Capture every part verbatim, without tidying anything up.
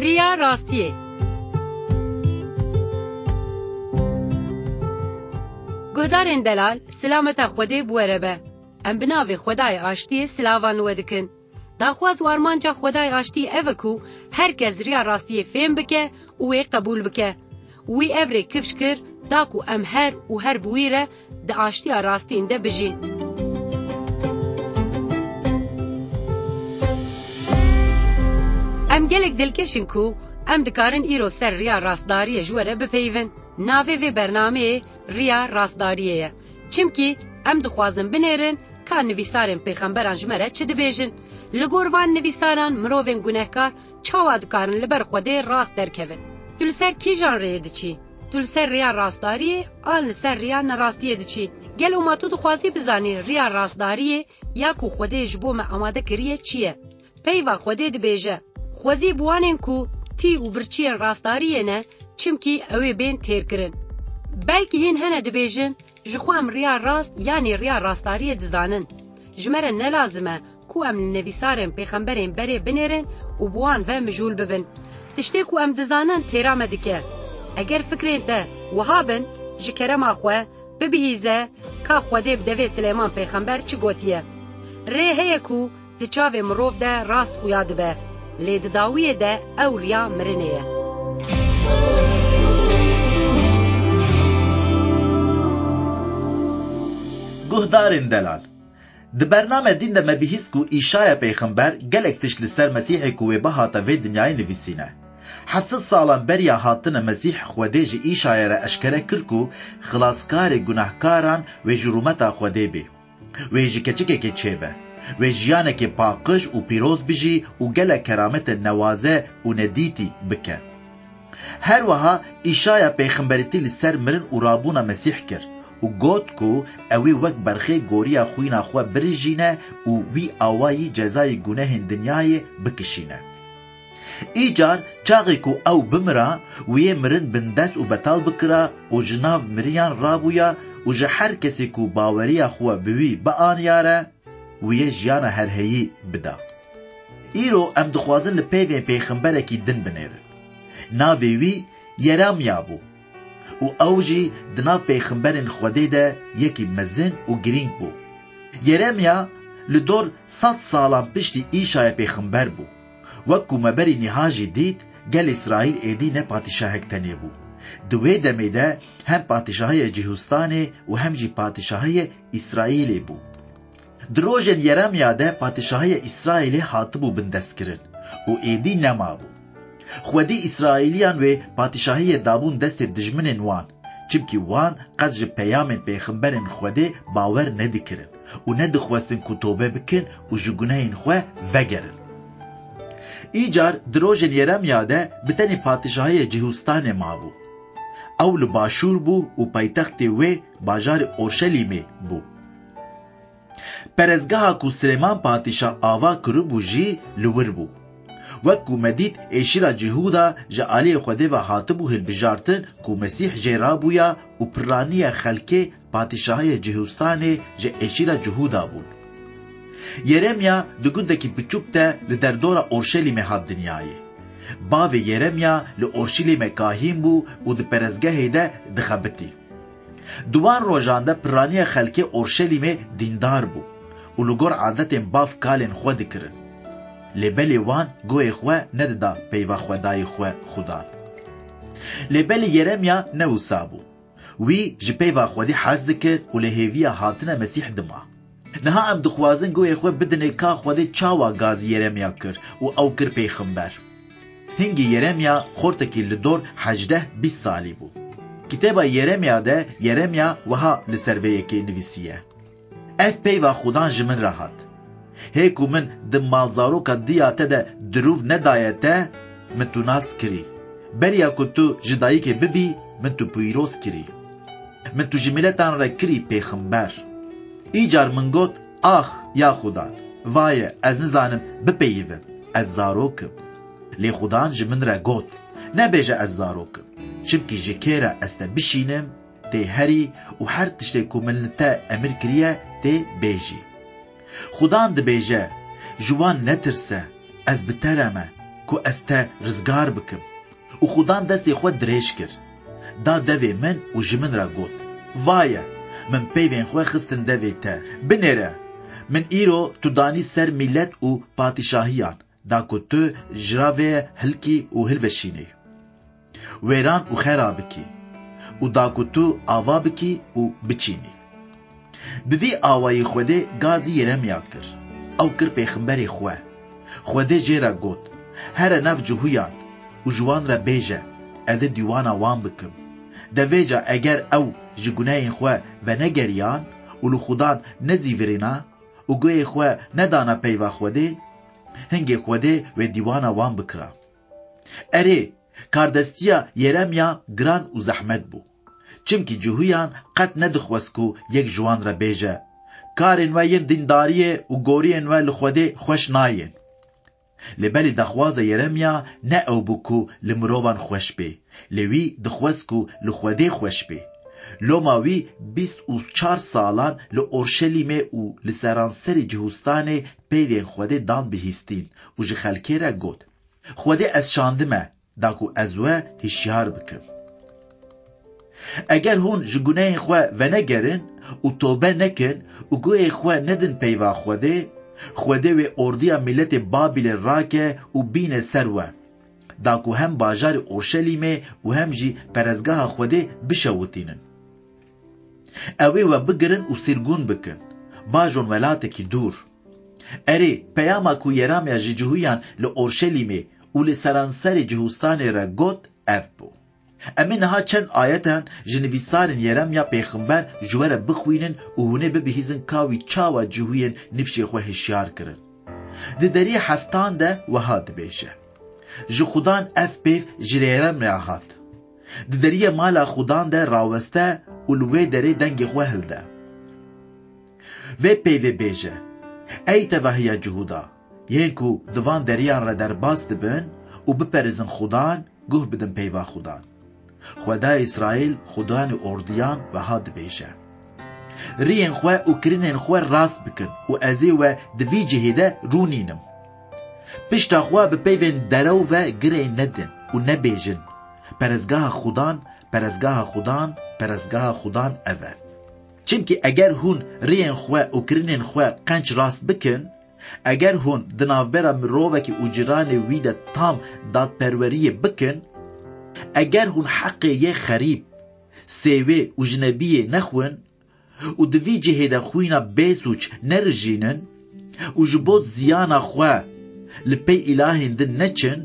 Riya rastiyê. Guhdarên delal, silameta Xwedê bi we re be. Em bi navê Xwedayê Aştiyê silavan li we dikin. Daxwaz û armanca Xwedayê Aştiyê ev e ku her kes riya rastiyê fêm bike û wê qebûl bike. Wî ev rê kifş kir, da ku em her û her bi wî re di aştiya rastîn de bijîn. Em gelek dilkeş in ku em dikarin îro ser riya rastdariyê ji we re bipeyivin. Navê vê bernameyê Riya Rastdariyê ye. Çimkî em dixwazin binêrin ka nivîsarên pêxemberan ji me re çi dibêjin. Li gor van nivîsaran mirovên gunehkar çawa dikarin li ber Xwedê rast derkevin? Tu li ser kîjan rêyê diçî? Tu li ser rêya rastdariyê an li ser rêya nerastiyê diçî? Gelo ma tu dixwazî bizanî rêya rastdariyê ya ku Xwedê ji bo me amade kiriye çi ye? Peyva Xwedê dibêje, Xwezî bi wanên ku tî û birçiyên rastdariyê ne, çimkî ew ê bên têrkirin. Belkî hîn hene dibêjin, Ji xwe em riya rast yanî riya rastdariyê dizanin. Ji me re ne lazim e ku em li nivîsarên pêxemberên berê binêrin û bi wan ve mijûl bibin. Tiştê ku em dizanin têra me dike. Eger fikrên te wiha bin, ji kerema xwe bibihîze ka Xwedê bi devê Silêman pêxember çi gotiye. Rê heye ku di çavê mirov de rast xuya dibe, lê di dawiyê de ew riya mirinê ye. Guhdarên delal, di bername dîn de me bihîst ku Îşaya pêxember gelek tişt li ser Mesîhê ku wê bihata vê dinyayê nivîsîne. Heft sed salan beriya hatine Mesîh Xwedê ji Îşaya re eşkere kir ku xilaskarê gunehkaran wê ji rûmeta Xwedê bê. Wê ji keçikekê çêbe. Wê jiyanekê paqij û pîroz bijî û gelek kerametên newaze û nedîtî bike. Her wiha Îşaya pêxemberîtî li ser mirin û rabûna Mesîh kir û got ku ew ê wek berxê goriya xwîna xwe birijîne û wî awayî cezayê gunehên dinyayê bikişîne. Îcar çaxê ku ew bimira, wî yê mirin bindest û betal bikira û ji nav miriyan rabûya û ji her kesê ku baweriya xwe bi wî bianiyare, wî yê jiyana herheyî bida. Îro em dixwazin li peyvên pêxemberekî din binêrin. Navê wî Yeremya bû û ew jî di nav pêxemberên Xwedê de yekî mezin û girîng bû. Yeremya li dor sed salan piştî Îşaya pêxember bû. Wek ku me berî niha jî dît, gel Îsraîl êdî ne padîşahek tenê bû. Di wê demê de hem padîşahiyê Cihûstanê û hem jî padîşahiyê Îsraîlê bû. Di rojên Yeremya de padîşahiyê Îsraîlê hatibû bindestkirin û êdî nemabû. Xwedî Îsraîliyan wê padîşahiyê dabûn destê dijminên wan, çimkî wan qet ji peyamên pêxemberên Xwedê bawer nedikirin û nedixwestin ku tobe bikin û ji gunehên xwe vegerin. Îcar di rojên Yeremya de bi tenê padîşahiyê Cihûstanê mabû. Ew li başûr bû û paytextê wê bajarê Orşelîmê bû. Perestgeha ku Silêman Padîşah ava kiribû jî li wir bû. Wek ku me dît, êşîra Cihûda ji aliyê Xwedê ve hatibû hilbijartin ku Mesîh jê rabûya û piraniya xelkê padîşahiyê Cihûstanê ji êşîra Cihûda bûn. Yeremya di gundekî biçûk de li derdora Orşelîmê hat dinyayê. Bavê Yeremya li Orşelîmê kahîn bû û di perestgehê de dixebitî. Di wan rojan de piraniya xelkê Orşelîmê dîndar bû û li gor adetên bav kalên xwe dikirin. Lê belê wan guhê xwe nedida peyva Xwedayê xwe Xudan. Lê belê Yeremya ne wisa bû. Wî ji peyva Xwedê hez dikir û li hêviya hatina Mesîh dima. Niha em dixwazin guhê xwe bidinê ka Xwedê çawa gazî Yeremya kir û ew kir pêxember. Hingî Yeremya xortekî li dor hejdeh bîst salî bû. Kitêba Yeremya de Yeremya wiha li ser vê yekê nivîsiye, Ev peyva Xudan ji min re hat. Hê ku min di malzaroka diya te de dirûv nedaye te, min tu nas kirî. Beriya ku tu ji dayikê bibî, min tu pîroz kirî. Min tu ji miletan re kirî pêxember. Îcar min got, Ax, ya Xudan, vaye, ez nizanim bipeyivim, ez zarok im. Lê Xudan ji min re got, Nebêje ez zarok im, çimkî ji kê re ez te bişînim, tê herî û her tiştê ku min li te emir kiriye, tê bêjî. Xudan dibêje, Ji wan netirse, ez bi te re me. ku ez te rizgar bikim. Û Xudan destê xwe dirêj kir, da devê min û ji min re got, Vaye, min peyvên xwe xistin devê te. Binêre, min îro tu danî ser mîlet û padîşahiyan, da ku tu ji ra vê hilkî û hilveşînî, wêran û xera bikî, û da ku tu ava bikî û biçînî. Bi vî awayî Xwedê gazî Yeremya kir. Ew kir pêxemberê xwe. Xwedê jê re got, Here nav cihûyan û ji wan re bêje, ez ê dîwana wan bikim. De vêca eger ew ji gunehên xwe venegeriyan û li Xudan nezîvirîna û guhê xwe nedana peyva Xwedê, hingê Xwedê wê dîwana wan bikira. Erê, kardestiya Yeremya giran û zehmet bû. Çimkî cihûyan qet nedixwest ku yek ji wan re bêje, Karên we yên dîndariyê û goriyên we li Xwedê xweş nayên. Lê belê daxwaza Yeremya ne ew bû ku li mirovan xweş bê, lê wî dixwest ku li Xwedê xweş bê. Loma wî bîst û çar salan li Orşelîmê û li seranserê Cihûstanê peyvên Xwedê dan bihîstîn û ji xelkê re got, Xwedê ez şandime, da ku ez we hişyar bikim. Eger hûn ji gunehên xwe venegerin û tobe nekin û guhê xwe nedin peyva Xwedê, Xwedê wê ordiya mîletê Babîlê rake û bîne ser we, da ku hem bajarê Orşelîmê û hem jî perezgeha Xwedê bişewitînin. Ew ê we bigirin û sîrgûn bikin, bajon welatekî dûr. Erê, peyama ku Yeremya ji cihûyan li Orşelîmê û li seranserê Cihûstanê re got, ev bû. Em ê niha çend ayetan ji nivîsarên Yeremya pêxember ji we re bixwînin û hûn ê bibihîzin ka wî çawa cihûyên nifşê xwe hişyar kirin. Di deriyê heftan de wiha dibêje, Ji Xudan ev peyv ji Yeremya hat. Di deriyê mala Xudan de raweste û li wê derê dengê xwe hilde. Vê peyvê bêje, Ey tevahiya Cihûda, yên ku di van deriyan re derbas dibin û biperizin Xudan, guh bidin peyva Xudan. Xwedayê Îsraîl, Xudanê ordiyan wiha dibêje, Riyên xwe û kirinên xwe rast bikin û ez ê we di vî cihê de rûnînim. Pişta xwe bi peyvên derew ve girê nedin û nebêjin, Perezgeha Xudan, perezgeha Xudan, perezgeha Xudan ev e. Çimkî eger hûn riyên xwe û kirinên xwe qenc rast bikin, eger hûn di navbera mirovekî û cîranê wî de tam dadperweriyê bikin, eger hûn heqê yê xerîb, sêwê û jinebiyê nexwin û di vî cihê de xwîna bêsûc nerijînin û ji bo ziyana xwe li pey îlahên din neçin,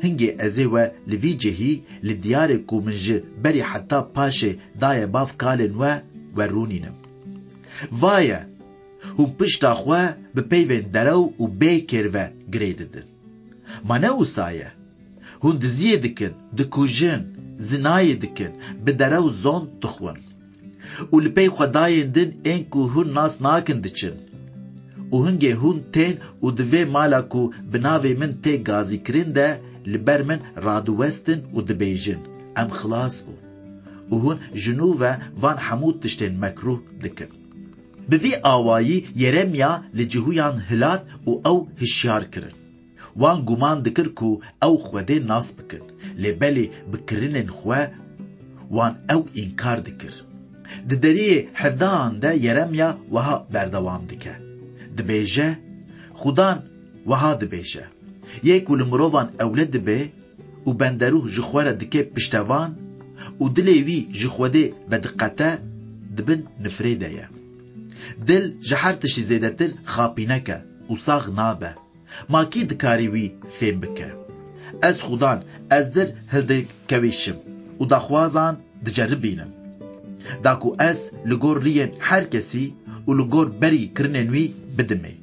hingê ez ê we li vî cihî li diyarê ku min ji berî heta paşê daye bav kalên we, we rûnînim. Vaye, hûn pişta xwe bi peyvên derew û bê kêr ve girê didin. Ma ne wisa ye? Hûn diziyê dikin, dikujin, zinayê dikin, bi derew zond dixwin. Û li pey xwedayên din ên ku hûn nas nakin diçin. Û hingê hûn tên û di vê mala ku bi navê min tê gazîkirin de li ber min radiwestin û dibêjin, Em xilas bûn. Û hûn ji nû ve van hemû tiştên mekrûh dikin. Bi vî awayî Yeremya li cihûyan hilat û ew hişyar kirin. Wan guman dikir ku ew Xwedê nas bikin, lê belê bi kirinên xwe wan ew înkar dikir. Di deriyê hevdehan de Yeremya wiha berdewam dike. Dibêje, Xudan wiha dibêje, Yê ku li mirovan ewle dibe û benderûh ji xwe re dike piştevan û dilê wî ji Xwedê vediqete, di bin nifrê de ye. Dil ji her tiştî zêdetir xapînek e û sax nabe. Ma kî dikarî wî fêm bike? Ez Xudan, ez dil hildikewîşim û daxwazan diceribînim, da ku ez li gor riyên her kesî û li gor berî kirinên wî bidimê.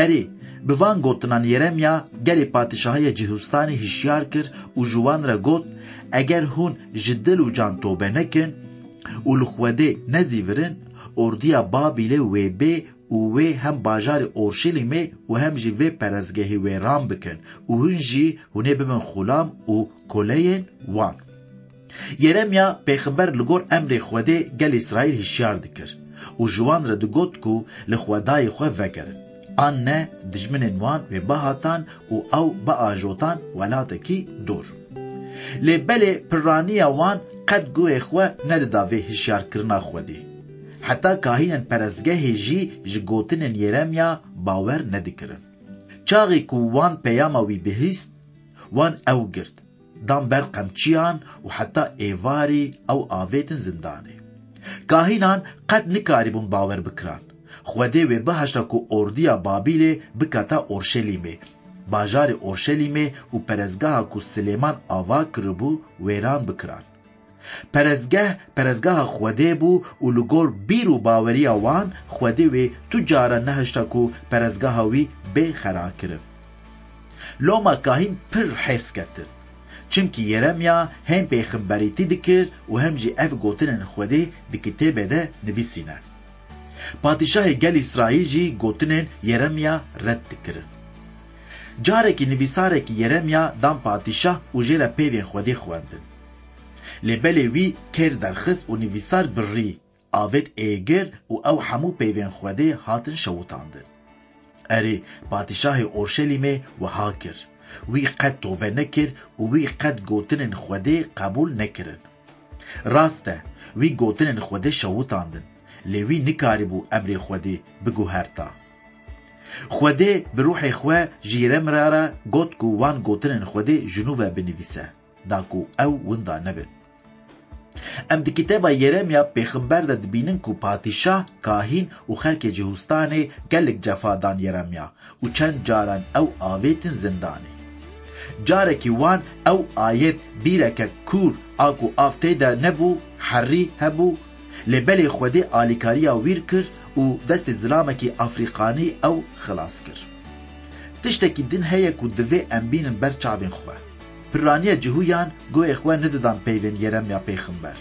Erê, bi van gotinan Yeremya gelê padîşahiya Cihûstanê hişyar kir û ji wan re got, Eger hûn ji dil û can tobe nekin û li Xwedê nezîvirin, ordiya Babîlê wê bê û wê hem bajarê Orşelîmê û hem jî vê perestgehê wêran bikin û hûn jî hûn ê bibin xulam û koleyên wan. Yeremya pêxember li gor emrê Xwedê gelê Îsraîl hişyar dikir û ji wan re digot ku li Xwedayê xwe vegerin. An ne, dijminên wan wê bihatan û ew biajotan welatekî dor. Lê belê pirraniya wan qet guhê xwe nedida vê hişyarkirina Xwedê. Heta kahînên perestgehê jî ji gotinên Yeremya bawer nedikirin. Çaxê ku wan peyama wî bihîst, wan ew girt, dan ber qemçiyan û heta êvarî ew avêtin zindanê. Kahînan qet nikarîbûn bawer bikiran. Xwedê wê bihişta ku ordiya Babîlê bikata Orşelîmê, bajarê Orşelîmê û perestgeha ku Silêman ava kiribû wêran bikiran. Perestgeh, perestgeha Xwedê bû û li gor bîr û baweriya wan Xwedê wê tu cara nehişta ku perestgeha wî bê xerakirin. Loma kahîn pir hêrs ketin. Çimkî Yeremya hem pêxemberîtî dikir û hem jî ev gotinên Xwedê di kitêbê de nivîsîne. Padîşahê gel Îsraîl jî gotinên Yeremya red dikirin. Carekî nivîsarekî Yeremya dan padîşah û jê re peyvên Xwedê xwendin. Lê belê wî kêr derxist û nivîsar birî, avêt êgir û ew hemû peyvên Xwedê hatin şewitandin. Erê, padîşahê Orşelîmê wiha kir. Wî qet tobe nekir û wî qet gotinên Xwedê qebûl nekirin. Rast e, wî gotinên Xwedê şewitandin, lê wî nikarîbû emrê Xwedê biguherta. Xwedê bi ruhê xwe ji Yeremya re got ku wan gotinên Xwedê ji nû ve binivîse, da ku ew winda nebin. Em di kitêba Yeremya pêxember de dibînin ku padîşah, kahîn û xelkê Cihûstanê gelek cefa dan Yeremya û çend caran ew avêtin zindanê. Carekî wan ew ayet bîreke kûr a ku av tê de nebû, herî hebû, lê belê Xwedê alîkariya wîr kir û destê zilamekî Afrîkanî ew xilas kir. Tiştekî din heye ku divê em bînin ber çavên xwe. Pirraniya Cihûyan guhê xwe nedidan peyvên Yeremya pêxember.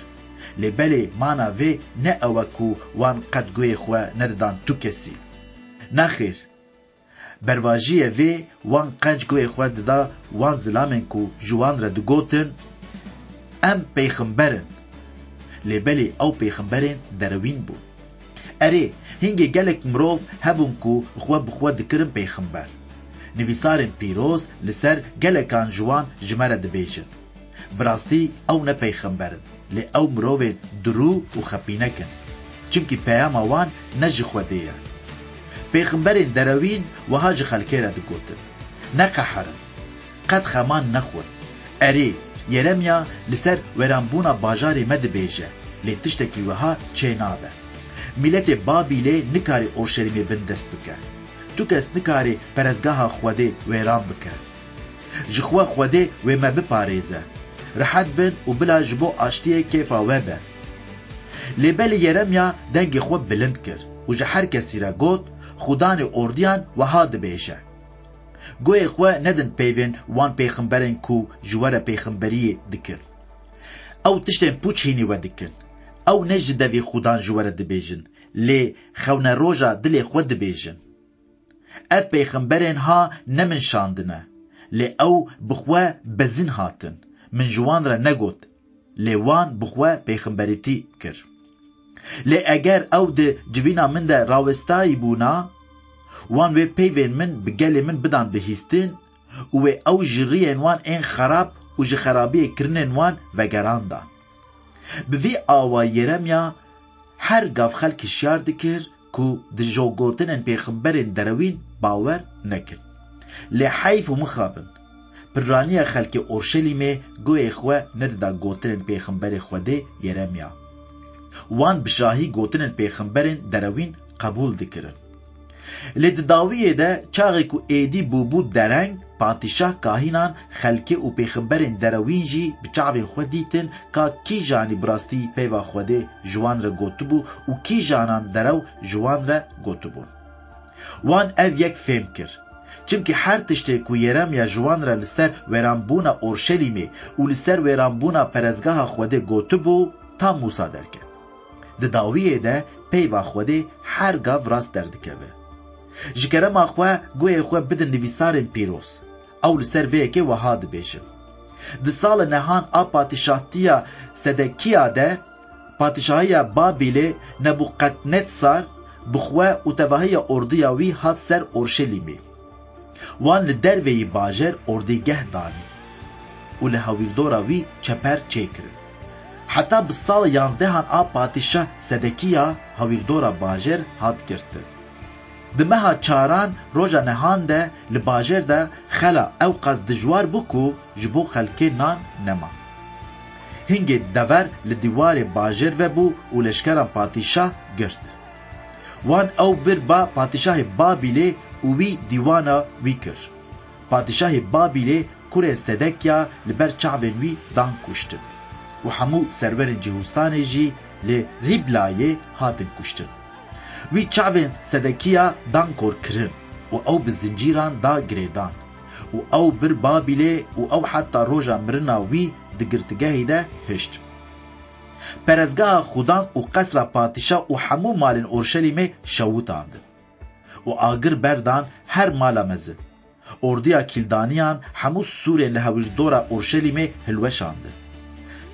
Lê belê mana vê ne ew e ku wan qet guhê xwe nedidan tu kesî. Nexêr. Bervajiyê vê wan qenc guhê xwe dida wan zilamên ku ji wan re digotin, "Em pêxember in." Lê belê ew pêxemberên derewîn bûn. Erê, hingê gelek mirov hebûn ku xwe bi xwe dikirin pêxember. Nivîsarên pîroz li ser gelekan ji wan ji me re dibêjin. Bi rastî ew ne pêxember in, lê ew mirovên dirû û xepînek in. Çimkî peyama wan ne ji Xwedê ye. Pêxemberên derewîn wiha ji xelkê re digotin, "Neqeherin, qet xeman nexwin." Erê, Yeremya li ser wêranbûna bajarê me dibêje, lê tiştekî wiha çênabe. Mîletê Babîlê nikare Orşelîmê bindest bike. Tu kes nikare perestgeha Xwedê wêran bike. Ji xwe Xwedê wê me biparêze. Rehet bin û bila ji bo aştiyê kêfa we be. Lê belê Yeremya dengê xwe bilind kir û ji her kesî re got, "Xudanê ordiyan wiha dibêje, 'Guhê xwe nedin peyvên wan pêxemberên ku ji we re pêxemberiyê dikin. Ew tiştên pûç hînî we dikin. Ew ne ji devî Xudan ji we re dibêjin, lê xewneroja dilê xwe dibêjin.'" Ev pêxemberên ha ne min şandine, lê ew bi xwe bezin hatin. Min ji wan re negot, lê wan bi xwe pêxemberîtî kir. Lê eger ew di civîna min de rawestayî bûna, wan wê peyvên min bi gelê min bidan bihîstin û wê ew ji riyên wan ên xerab û ji xerabiyê kirinên wan vegerandan. Bi vî awa Yeremya her gav xelk hişyar dikir ku di jo gotinên pêxemberên derewîn bawer nekin. Lê heyf û mixabin, pirraniya xelkê Orşelîmê guhê xwe nedida gotinên pêxemberê Xwedê Yeremya. Wan bi şahî gotinên pêxemberên derewîn qebûl dikirin. Lê di dawiyê de çaxê ku êdî bûbû dereng, padîşah, kahînan, xelkê û pêxemberên derewîn jî bi çavên xwe dîtin ka kîjanî bi rastî peyva Xwedê ji wan re gotibû û kîjanan derew ji wan re gotibûn. Wan ev yek fêm kir. Çimkî her tiştê ku Yeremya ji wan re li ser wêranbûna Orşelîmê û li ser wêranbûna perestgeha Xwedê gotibû, tam wisa derket. Di dawiyê de peyva Xwedê her gav rast derdikeve. Ji kerema xwe guhê xwe bidin nivîsarên pîroz. Ew li ser vê yekê wiha dibêjin. Di sala nehan a padîşahtiya Sedekiya de, padîşahiya Babîlê Nebûkadnetsar bi xwe û tevahiya ordiya wî hat ser Orşelîmê. Wan li derveyî bajêr ordîgeh danî û li hewîrdora wî çeper çêkirin. Heta bi sala yanzdehan a Padîşah Sedekiya hewîrdora bajêr hat girtin. Di meha çaran roja nehan de li bajêr de xela ewqas dijwar bû ku ji bo xelkê nan nema. Hingê dever li dîwarê bajêr vebû û leşkeran padîşah girt. Wan ew bir ba padîşahê Babîlê û wî dîwana wî kir. Padîşahê Babîlê kurê Sedekya li ber çavên wî dan kuştin û hemû serwerên Cihûstanê jî li Rîblayê hatin kuştin. Wî çavên Sedekiya dan korkirin û ew bi zincîran da girêdan û ew bir Babîlê û ew heta roja mirina wî di girtîgehê de hişt. Perestgeha xudan û qesra padîşa û hemû malên Orşelîmê şewitandin û agir berdan her mala mezin. Ordiya Kîldaniyan hemû sûrên li hewîrdora Orşelîmê hilweşandin.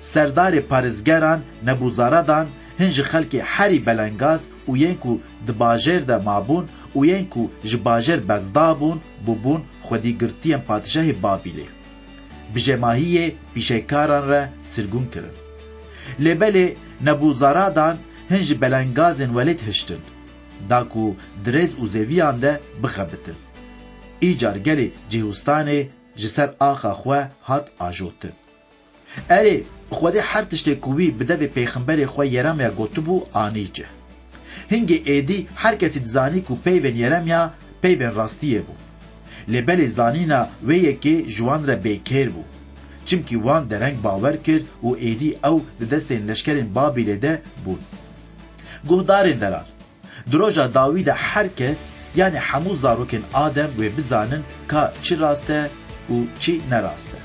Serdarê parêzgeran Nebûzaradan hin ji xelkê herî belengaz û yên ku di bajêr de mabûn û yên ku ji bajêr bezdabûn, bûbûn xwedîgirtiyên padîşahê Babîlê. Bi jemahiyê pîşekaran re sirgûn kirin. Lê belê Nebûzaradan hin ji belengazên welêt hiştin, da ku di rêz û zeviyan de bixebitin. Îcar gelê Cihûstanê ji ser axa xwe hat ajotin. Erê, Xwedê her tiştê ku wî bi devê pêxemberê xwe Yeremya gotibû anî cih. Hingê êdî her kesî dizanî ku peyvên Yeremya peyvên rastiyê bûn. Lê belê zanîna wê yekê ji wan re bêkêr bû. Çimkî wan dereng bawer kir û êdî ew di destên leşkerên Babîlê de bûn. Guhdarên deran, di roja dawî de her kes, yanî hemû zarokên Adem wê bizanin ka çi rast e û çi ne rast e.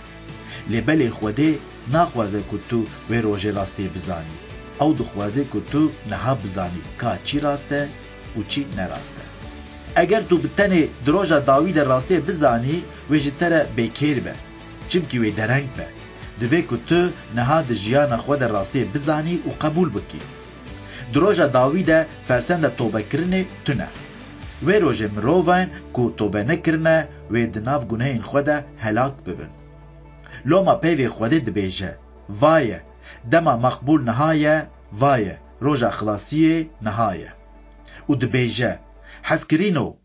Lê belê Xwedê naxwaze ku tu wê rojê rastiyê bizanî. Ew dixwaze ku tu niha bizanî ka çi rast e û çi ne rast e. Eger tu bi tenê di roja dawî de rastiyê bizanî, wê ji te re bêkêr be. Çimkî wê dereng be. Divê ku tu niha di jiyana xwe de rastiyê bizanî û qebûl bikî. Di roja dawî de fersenda tobekirinê tune. Wê rojê mirovên ku tobe nekirine, wê di nav gunehên xwe de helak bibin. Loma peyvê Xwedê dibêje, Vaye, dema maqbûl niha ye, vaye, roja xilasiyê niha ye. Û dibêje, Hezkirîno,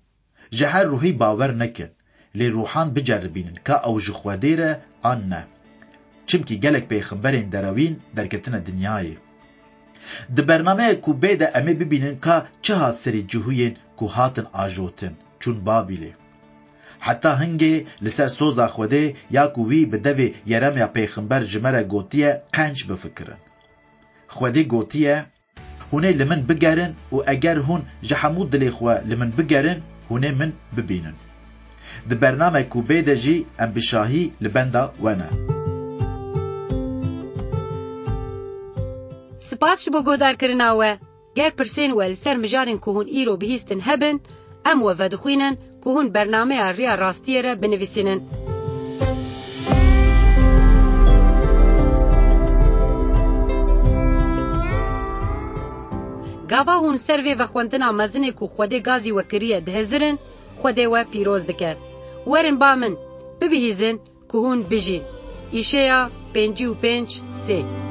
ji her ruhî bawer nekin, lê ruhan biceribînin ka ew ji Xwedê re an ne. Çimkî gelek pêxemberên derewîn derketine dinyayê. Di bernameyek ku bê de em ê bibînin ka çi hat serî cihûyên ku hatin ajotin, çûn Babîlê. Heta hingê li ser soza Xwedê ya ku wî bi devê Yeremya pêxember ji me re gotiye qenc bifikirin. Xwedê gotiye, Hûn ê li min bigerin û eger hûn ji hemû dilê xwe li min bigerin, hûn ê min bibînin. Di bernamek ku bê de jî em bi şahî li benda we ne. Spas ji bo guhdarkirina we. Ger pirsên we li ser mijarên ku hûn îro bihîstin hebin, em we vedixwînin ku hûn bernameya Riya Rastiyê re binivîsînin. Gava hûn ser vê vexwendina mezinê ku Xwedê gazî we kiriye dihizirin, Xwedê we pîroz dike. Werin ba min, bibihîzin ku hûn bijîn. Îşeya pêncî û pênc sê.